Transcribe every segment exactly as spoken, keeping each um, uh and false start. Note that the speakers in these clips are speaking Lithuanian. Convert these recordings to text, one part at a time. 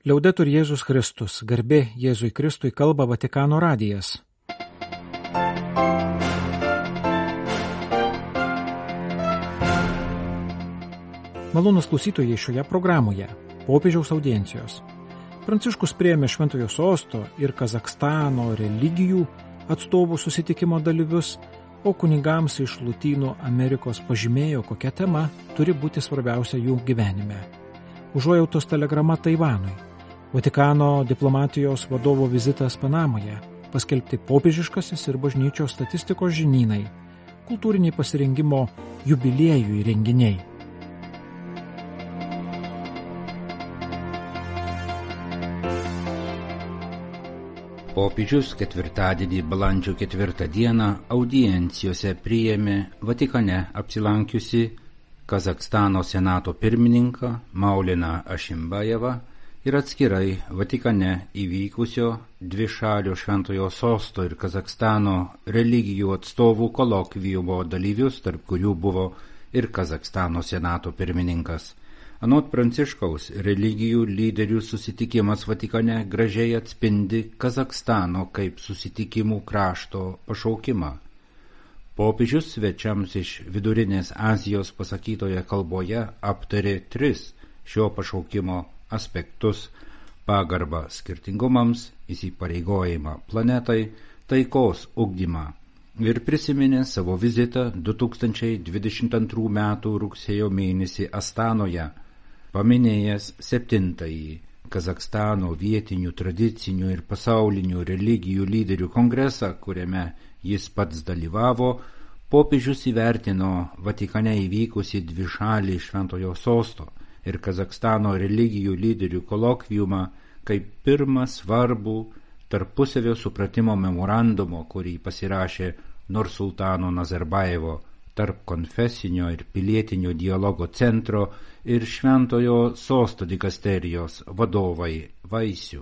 Liaudetur Jėzus Kristus, garbė Jėzui Kristui, kalba Vatikano radijas. Malonūs klausytojai, šioje programoje popiežiaus audiencijos. Pranciškus priėmė Šventojo Sosto ir Kazachstano religijų atstovų susitikimo dalyvius, o kunigams iš Lotynų Amerikos pažymėjo, kokia tema turi būti svarbiausia jų gyvenime. Užuojautos telegrama Taivanui, Vatikano diplomatijos vadovo vizitas Panamoje, paskelbti popiežiškasis ir bažnyčios statistikos žinynai, kultūriniai pasirengimo jubiliejų renginiai. Popiežius ketvirtadienį balandžio ketvirtą dieną audiencijose priėmė Vatikane apsilankiusi Kazachstano senato pirmininką Mauleną Ašimbajevą ir atskirai Vatikane įvykusio dvišalio Šventojo Sosto ir Kazachstano religijų atstovų kolokviumo dalyvius, tarp kurių buvo ir Kazachstano senato pirmininkas. Anot Pranciškaus, religijų lyderių susitikimas Vatikane gražiai atspindi Kazachstano kaip susitikimų krašto pašaukimą. Popiežius svečiams iš Vidurinės Azijos pasakytoje kalboje aptarė tris šio pašaukimo aspektus – pagarbą skirtingumams, įsipareigojimą planetai, taikos ugdymą ir prisiminė savo vizitą du tūkstančiai dvidešimt antrų metų rugsėjo mėnesį Astanoje, paminėjęs septintąjį Kazachstano vietinių tradicinių ir pasaulinių religijų lyderių kongresą, kuriame jis pats dalyvavo, popiežius įvertino Vatikane įvykusį dvišalį Šventojo Sosto ir Kazachstano religijų lyderių kolokviumą kaip pirmą svarbų tarpusavio supratimo memorandumo, kurį pasirašė Nursultano Nazarbajevo tarp konfesinio ir pilietinio dialogo centro ir Šventojo Sosto dikasterijos vadovai vaisių.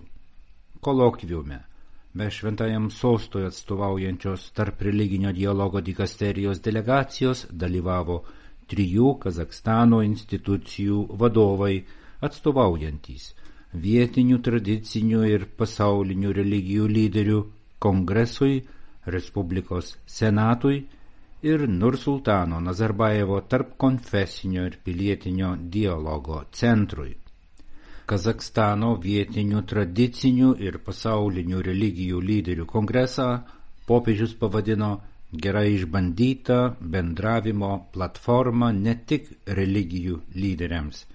Kolokviume be Šventajam Sostui atstovaujančios tarp religinio dialogo dikasterijos delegacijos dalyvavo trijų Kazachstano institucijų vadovai atstovaujantys vietinių tradicinių ir pasaulinių religijų lyderių Kongresui, Respublikos Senatui ir Nursultano Nazarbajevo tarp konfesinio ir pilietinio dialogo centrui. Kazachstano vietinių tradicinių ir pasaulinių religijų lyderių kongresą popiežius pavadino gerai išbandytą bendravimo platformą ne tik religijų lyderiams,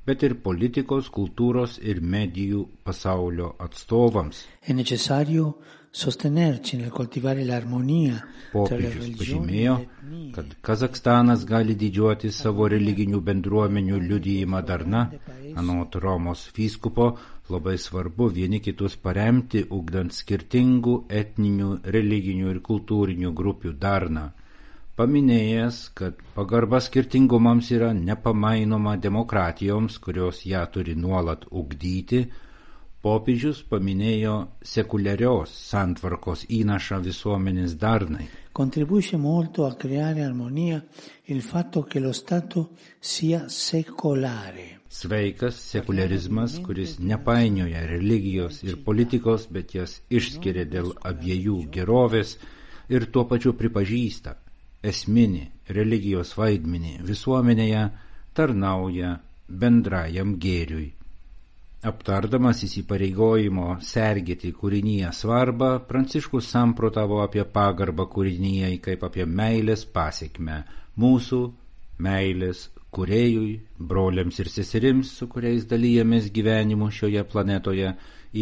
bet ir politikos, kultūros ir medijų pasaulio atstovams. È necessario sostenerci nel coltivare l'armonia tra le Popiežius religioni pažymėjo, e le etnie. kad Kazachstanas gali didžiuoti savo religinių bendruomenių liudijimą darna. Anot Romos vyskupo, labai svarbu vieni kitus paremti, ugdant skirtingų etninių, religinių ir kultūrinių grupių darną. Paminėjęs, kad pagarba skirtingumams yra nepamainoma demokratijoms, kurios ją turi nuolat ugdyti, popiežius paminėjo sekuliarios santvarkos įnašą visuomenės darnai. Contribuisce molto a creare armonia il fatto che lo Stato sia secolare. Sveikas sekularizmas, kuris nepainioja religijos ir politikos, bet jas išskiria dėl abiejų gerovės ir tuo pačiu pripažįsta esminį religijos vaidmenį visuomenėje, tarnauja bendrajam gėriui. Aptardamas įsipareigojimo sergėti kūrinyje svarbą, Pranciškus samprotavo apie pagarbą kūrinyjai kaip apie meilės pasekmę mūsų meilės kūrėjui, broliams ir seserims, su kuriais dalyjamės gyvenimu šioje planetoje,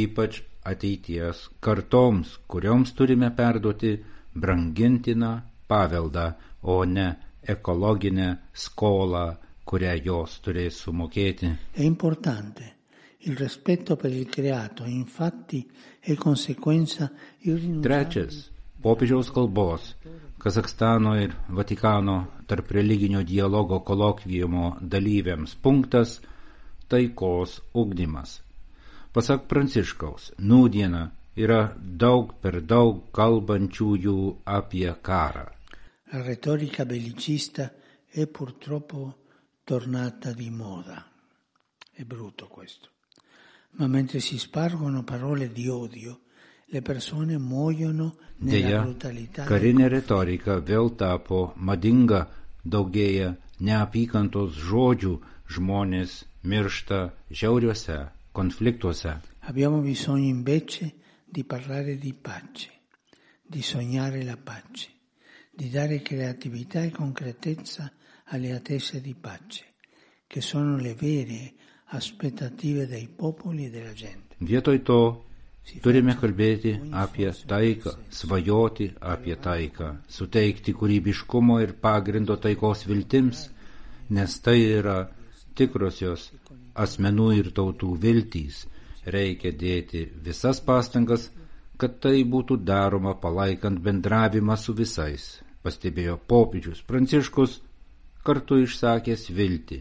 ypač ateities kartoms, kurioms turime perduoti brangintiną paveldą, o ne ekologinę skolą, kurią jos turės sumokėti. È importante. Il rispetto per il creato, infatti, è conseguenza irrinunciabile. Trečias, popiežiaus kalbos, Kazachstano ir Vatikano tarp religinio dialogo kolokviumo dalyviams punktas – taikos ugdymas. Pasak Pranciškaus, nūdiena yra daug per daug kalbančiųjų apie karą. La retorica bellicista è purtroppo tornata di moda. È brutto questo. ma mentre si spargono parole di odio, le persone muoiono nella Deja, brutalità. karinė retorika vėl tapo madinga, daugėja neapykantos žodžių, žmonės miršta žiauriuose konfliktuose. Abbiamo bisogno invece di parlare di pace, di sognare la pace, di dare creatività e concretezza alle attese di pace, che sono le vere aspettative dei popoli e della gente. Vietoj to turime kalbėti apie taiką, svajoti apie taiką, suteikti kūrybiškumo ir pagrindo taikos viltims, nes tai yra tikrosios asmenų ir tautų viltys. Reikia dėti visas pastangas, kad tai būtų daroma palaikant bendravimą su visais, pastebėjo popiežius Pranciškus, kartu išsakęs viltį,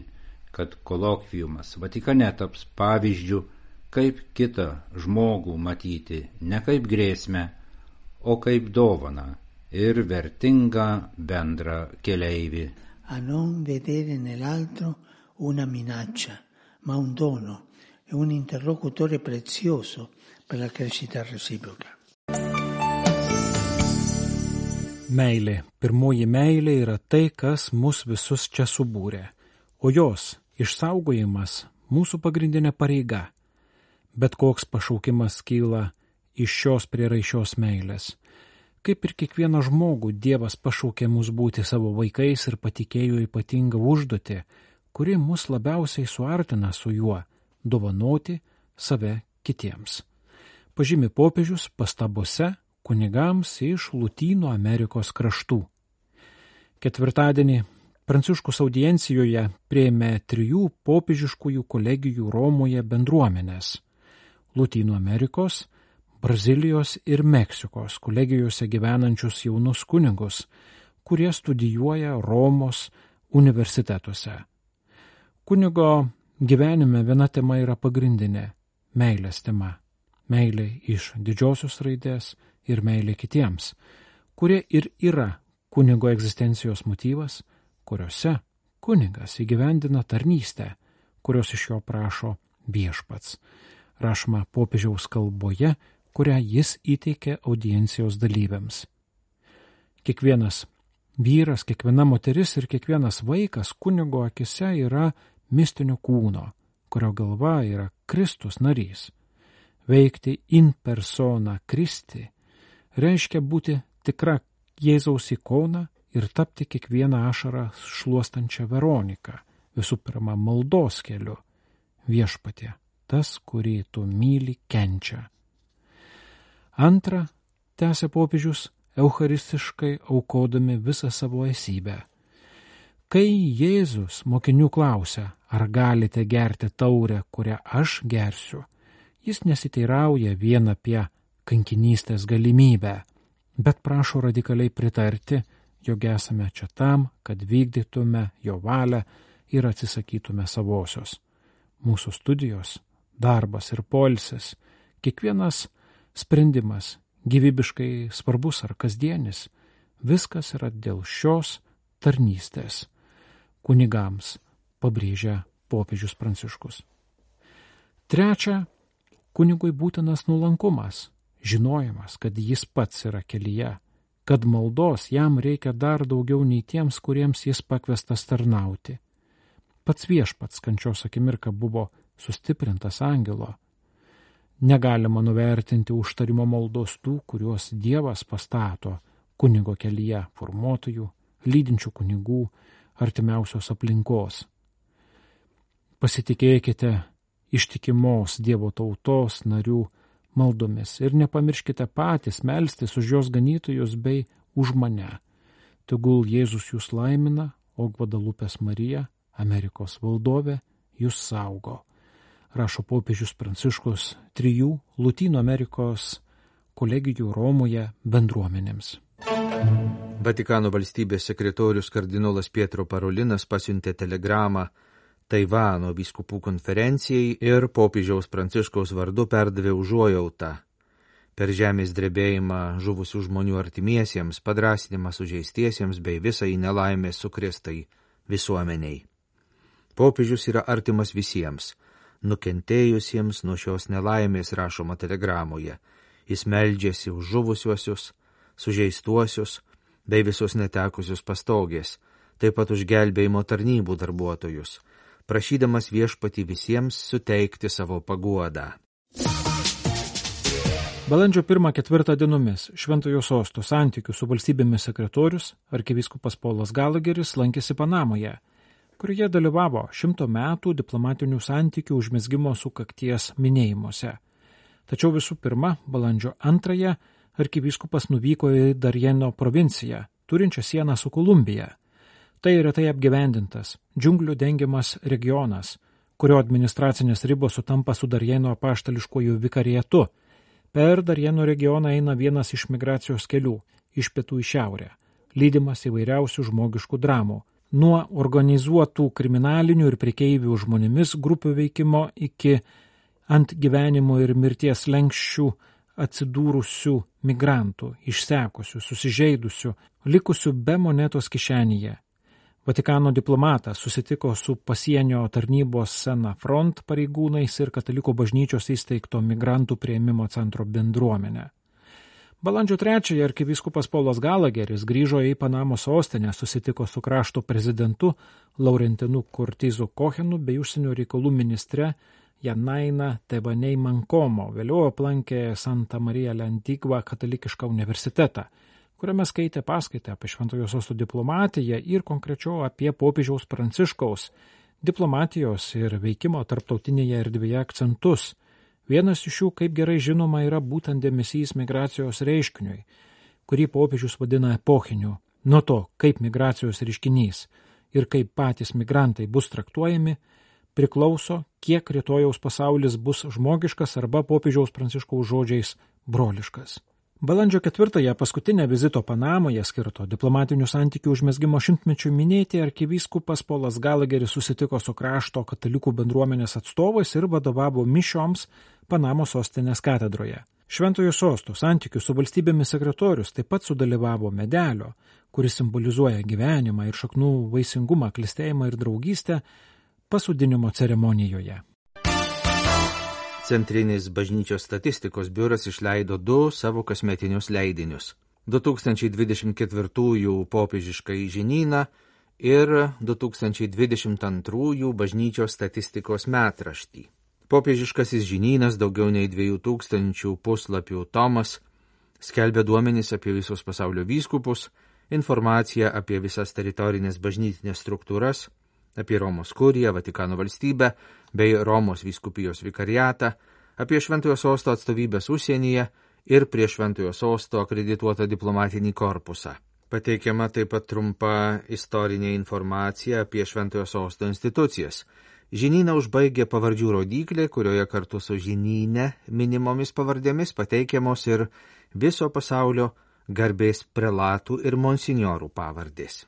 kad kolokviumas Vatikane taps pavyzdžiu, kaip kitą žmogų matyti ne kaip grėsmę, o kaip dovaną ir vertingą bendrą keleivį. A non vedere nell'altro una minaccia, ma un dono e un interlocutore prezioso per la crescita reciproca. Meilė, pirmoji meilė yra tai, kas mus visus čia subūrė, o jos išsaugojimas mūsų pagrindinė pareiga. Bet koks pašaukimas kyla iš šios prieraišios meilės. Kaip ir kiekvieną žmogų, Dievas pašaukė mus būti savo vaikais ir patikėjo ypatingą užduotį, kuri mus labiausiai suartina su juo – dovanoti save kitiems. Pažymi popiežius pastabose kunigams iš Lotynų Amerikos kraštų. Ketvirtadienį Pranciškus audiencijoje priėmė trijų popiežiškųjų kolegijų Romoje bendruomenės – Lotynų Amerikos, Brazilijos ir Meksikos kolegijose gyvenančius jaunus kunigus, kurie studijuoja Romos universitetuose. Kunigo gyvenime viena tema yra pagrindinė – meilės tema. Meilė iš didžiosios raidės ir meilė kitiems, kurie ir yra kunigo egzistencijos motyvas, kuriuose kunigas įgyvendina tarnystę, kurios iš jo prašo viešpats. Rašoma popiežiaus kalboje, kurią jis įteikė audiencijos dalyviams. Kiekvienas vyras, kiekviena moteris ir kiekvienas vaikas kunigo akise yra mistinio kūno, kurio galva yra Kristus narys. Veikti in persona Christi reiškia būti tikra Jėzaus ikona ir tapti kiekvieną ašarą šluostančią Veroniką, visų pirma maldos keliu. Viešpatie, tas, kurį tu myli, kenčia. Antra, tęsė popiežius, eucharistiškai aukodami visą savo esybę. Kai Jėzus mokinių klausia, ar galite gerti taurę, kurią aš gersiu, jis nesiteirauja vien apie kankinystės galimybę, bet prašo radikaliai pritarti, jog esame čia tam, kad vykdytume jo valią ir atsisakytume savosios. Mūsų studijos, darbas ir poilsis, kiekvienas sprendimas, gyvybiškai svarbus ar kasdienis, viskas yra dėl šios tarnystės. Kunigams, pabrėžia popiežius Pranciškus. Trečia, kunigui būtinas nuolankumas, žinojimas, kad jis pats yra kelyje, kad maldos jam reikia dar daugiau nei tiems, kuriems jis pakviestas tarnauti. Pats viešpats kančios akimirka buvo sustiprintas angelo. Negalima nuvertinti užtarimo maldos tų, kuriuos Dievas pastato kunigo kelyje, formuotojų, lydinčių kunigų, artimiausios aplinkos. Pasitikėkite ištikimos Dievo tautos narių maldomis ir nepamirškite patys melstis už jos ganytojus bei už mane. Tegul Jėzus jūs laimina, o Gvadalupės Marija, Amerikos valdovė, jūs saugo. Rašo popiežius Pranciškus trijų Lotynų Amerikos kolegijų Romoje bendruomenėms. Vatikano valstybės sekretorius kardinolas Pietro Parolinas pasiuntė telegramą Taivano vyskupų konferencijai ir popiežiaus Pranciškaus vardu perdavė užuojautą per žemės drebėjimą žuvusių žmonių artimiesiems, padrąsinimą sužeistiesiems bei visai nelaimės sukrėstai visuomeniai. Popiežius yra artimas visiems, nukentėjusiems nuo šios nelaimės, rašoma telegramoje. Jis meldžiasi už žuvusiuosius, sužeistuosius bei visus netekusius pastogės, taip pat už gelbėjimo tarnybų darbuotojus, prašydamas viešpatį visiems suteikti savo paguodą. Balandžio pirmą ketvirtą dienomis Šventojo Sosto santykių su valstybėmis sekretorius arkivyskupas Polas Galageris lankėsi Panamoje, kurioje dalyvavo šimto metų diplomatinių santykių užmezgimo sukakties minėjimuose. Tačiau visų pirma, balandžio antrąją arkivyskupas nuvyko į Darjeno provinciją, turinčią sieną su Kolumbija. Tai retai apgyvendintas, džiunglių dengiamas regionas, kurio administracinės ribos sutampa su Darjeno apaštališkuoju vikarietu. Per Darjeno regioną eina vienas iš migracijos kelių, iš pietų į šiaurę, lydimas įvairiausių žmogiškų dramų, nuo organizuotų kriminalinių ir prekeivių žmonėmis grupių veikimo iki ant gyvenimo ir mirties lenkščių atsidūrusių migrantų, išsekusių, susižeidusių, likusių be monetos kišenėje. Vatikano diplomatas susitiko su pasienio tarnybos Sena Front pareigūnais ir katalikų bažnyčios įsteigto migrantų priėmimo centro bendruomenę. Balandžio trečiąją arkivyskupas Polas Galageris grįžo į Panamos sostinę, susitiko su krašto prezidentu Laurentinu Cortizu Kohenu bei užsienio reikalų ministre Janaina Tebanei Mankomo, vėliau aplankė Santa Maria la Antigua katalikišką universitetą, kuriame skaitė paskaitą apie Šventojo Sosto diplomatiją ir konkrečiau apie popiežiaus Pranciškaus diplomatijos ir veikimo tarptautinėje erdvėje akcentus. Vienas iš jų, kaip gerai žinoma, yra būtent dėmesys migracijos reiškiniui, kurį popiežius vadina epochiniu. Nuo to, kaip migracijos reiškinys ir kaip patys migrantai bus traktuojami, priklauso, kiek rytojaus pasaulis bus žmogiškas arba popiežiaus Pranciškaus žodžiais broliškas. Balandžio ketvirtąją paskutinę vizito Panamoje skirto diplomatinių santykių užmezgimo šimtmečiui minėti arkivyskupas Polas Galageris susitiko su krašto katalikų bendruomenės atstovais ir vadovavo mišioms Panamos sostinės katedroje. Šventojo Sosto santykių su valstybėmis sekretorius taip pat sudalyvavo medelio, kuris simbolizuoja gyvenimą ir šaknų vaisingumą, klestėjimą ir draugystę, pasodinimo ceremonijoje. Centrinis bažnyčios statistikos biuras išleido du savo kasmetinius leidinius – du tūkstančiai dvidešimt ketvirtųjų popiežiškąjį žinyną ir du tūkstančiai dvidešimt antrųjų bažnyčios statistikos metraštį. Popiežiškasis žinynas, daugiau nei dviejų tūkstančių puslapių tomas, skelbia duomenis apie visus pasaulio vyskupus, informaciją apie visas teritorinės bažnytinės struktūras, apie Romos kuriją, Vatikano valstybę bei Romos vyskupijos vikariatą, apie Šventojo Sosto atstovybės užsienyje ir prie Šventojo Sosto akredituotą diplomatinį korpusą. Pateikiama taip pat trumpa istorinė informacija apie Šventojo Sosto institucijas. Žinyną užbaigė pavardžių rodiklė, kurioje kartu su žinyne minimomis pavardėmis pateikiamos ir viso pasaulio garbės prelatų ir monsinjorų pavardės.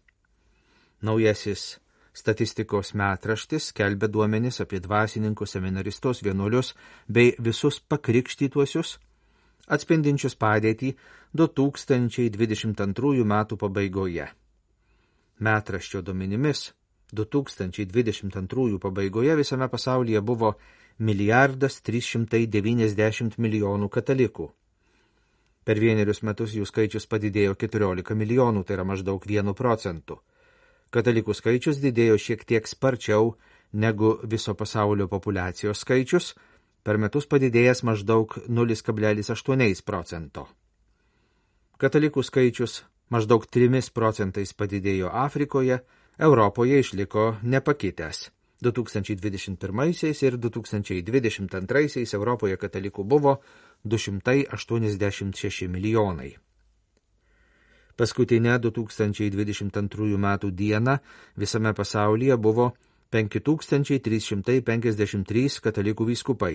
Naujasis statistikos metraštis skelbia duomenis apie dvasininkus, seminaristus, vienuolius bei visus pakrikštytuosius, atspindinčius padėtį du tūkstančiai dvidešimt antrųjų metų pabaigoje. Metraščio duomenimis du tūkstančiai dvidešimt antrųjų pabaigoje visame pasaulyje buvo milijardas trys šimtai devyniasdešimt milijonų katalikų. Per vienerius metus jų skaičius padidėjo keturiolika milijonų, tai yra maždaug vienu procentu. Katalikų skaičius didėjo šiek tiek sparčiau negu viso pasaulio populiacijos skaičius, per metus padidėjęs maždaug nulis kablelis aštuoni procento. Katalikų skaičius maždaug trimis procentais padidėjo Afrikoje, Europoje išliko nepakitęs. du tūkstančiai dvidešimt pirmaisiais ir du tūkstančiai dvidešimt antraisiais Europoje katalikų buvo du šimtai aštuoniasdešimt šeši milijonai. Paskutinę du tūkstančiai dvidešimt antrųjų metų dieną visame pasaulyje buvo penki tūkstančiai trys šimtai penkiasdešimt trys katalikų vyskupai.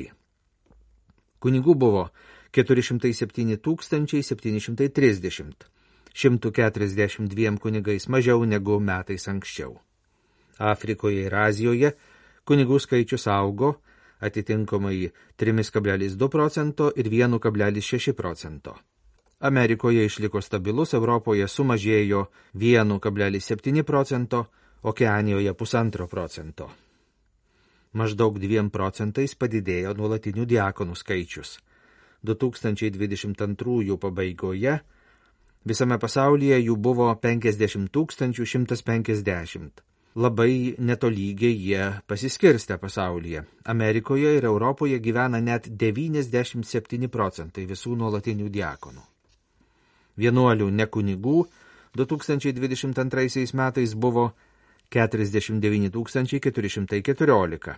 Kunigų buvo keturi šimtai septyni tūkstančiai septyni šimtai trisdešimt, šimtas keturiasdešimt dviem kunigais mažiau negu metais anksčiau. Afrikoje ir Azijoje kunigų skaičius augo atitinkamai trys kablelis du procento ir vienas kablelis šeši procento. Amerikoje išliko stabilus, Europoje sumažėjo vienas kablelis septyni procento, Okeanijoje pusantro procento. Maždaug dviem procentais padidėjo nuolatinių diakonų skaičius. du tūkstančiai dvidešimt antrųjų pabaigoje visame pasaulyje jų buvo penkiasdešimt tūkstančių šimtas penkiasdešimt. Labai netolygiai jie pasiskirstė pasaulyje. Amerikoje ir Europoje gyvena net devyniasdešimt septyni procentai visų nuolatinių diakonų. Vienuolių nekunigų du tūkstančiai dvidešimt antraisiais metais buvo keturiasdešimt devyni tūkstančiai keturi šimtai keturiolika,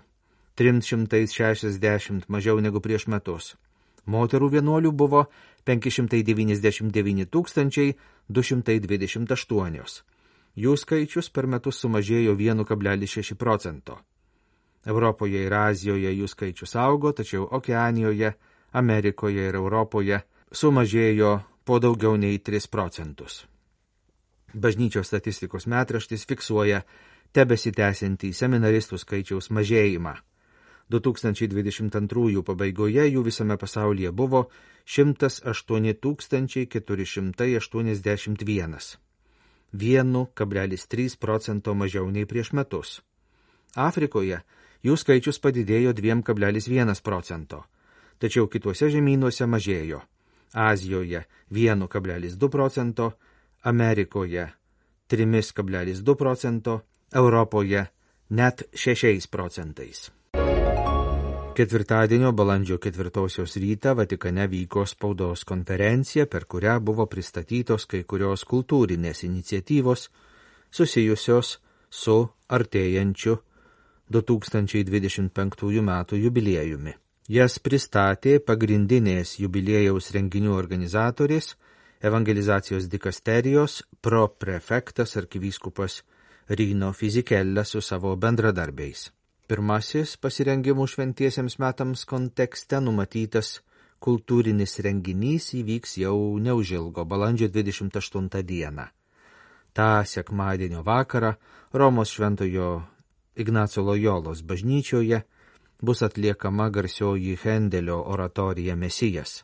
trims šimtais šešiasdešimt mažiau negu prieš metus. Moterų vienuolių buvo penki šimtai devyniasdešimt devyni tūkstančiai du šimtai dvidešimt aštuoni. Jų skaičius per metus sumažėjo vienu kablelis šeši procento. Europoje ir Azijoje jų skaičius augo, tačiau Okeanijoje, Amerikoje ir Europoje sumažėjo po daugiau nei tris procentus. Bažnyčios statistikos metraštis fiksuoja tebesitęsiantį seminaristų skaičiaus mažėjimą. du tūkstančiai dvidešimt antrųjų pabaigoje jų visame pasaulyje buvo šimtas aštuoni tūkstančiai keturi šimtai aštuoniasdešimt vienas. vienu kablelis trys procento mažiau nei prieš metus. Afrikoje jų skaičius padidėjo dviem kablelis vienas procento, tačiau kituose žemynuose mažėjo. Azijoje vienu kablelis du procento, Amerikoje trimis kablelis du procento, Europoje net šešiais procentais. Ketvirtadienio balandžio ketvirtosios rytą Vatikane vyko spaudos konferencija, per kurią buvo pristatytos kai kurios kultūrinės iniciatyvos susijusios su artėjančiu du tūkstančiai dvidešimt penktųjų metų jubiliejumi. Jas pristatė pagrindinės jubiliejaus renginių organizatorės, evangelizacijos dikasterijos proprefektas arkivyskupas Rino Fisichella su savo bendradarbiais. Pirmasis pasirengimų šventiesiems metams kontekste numatytas kultūrinis renginys įvyks jau neužilgo balandžio dvidešimt aštuntą dieną. Ta sekmadienio vakarą Romos šventojo Ignaco Lojolos bažnyčioje bus atliekama garsioji Hendelio oratorija Mesijas.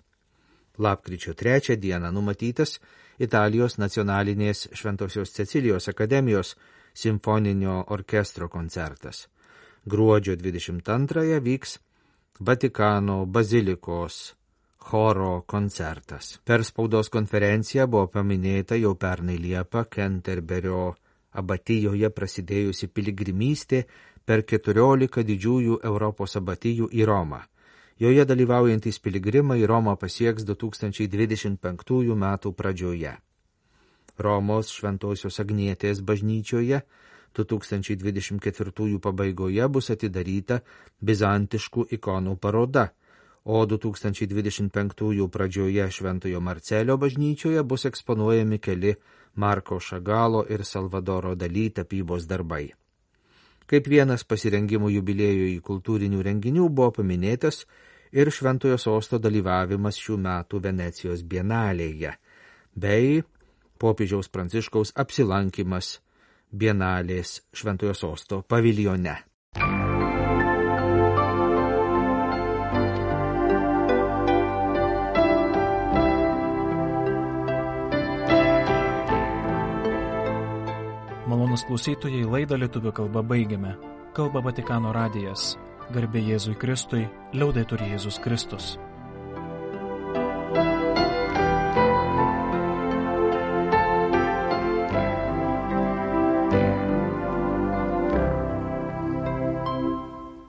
Lapkričio trečią dieną numatytas Italijos nacionalinės Šventosios Cecilijos akademijos simfoninio orkestro koncertas. Gruodžio dvidešimt antrąją vyks Vatikano bazilikos choro koncertas. Per spaudos konferenciją buvo paminėta jau pernai Liepą Kenterberio abatijoje prasidėjusi piligrimystė per keturiolika didžiųjų Europos abatijų į Romą. Joje dalyvaujantys piligrimai Romą pasieks du tūkstančiai dvidešimt penktųjų metų pradžioje. Romos Šventosios Agnietės bažnyčioje du tūkstančiai dvidešimt ketvirtųjų pabaigoje bus atidaryta bizantiškų ikonų paroda, o du tūkstančiai dvidešimt penktųjų pradžioje Šventojo Marcelio bažnyčioje bus eksponuojami keli Marko Šagalo ir Salvadoro Dalį tapybos darbai. Kaip vienas pasirengimų jubiliejui kultūrinių renginių buvo paminėtas ir Šventojo Sosto dalyvavimas šių metų Venecijos bienalėje, bei popiežiaus Pranciškaus apsilankimas bienalės Šventojo Sosto paviljone. Malonūs klausytojai, laidą lietuvių kalba baigiame. Kalba Vatikano radijas. Garbė Jėzui Kristui, liaudetur Jėzus Kristus.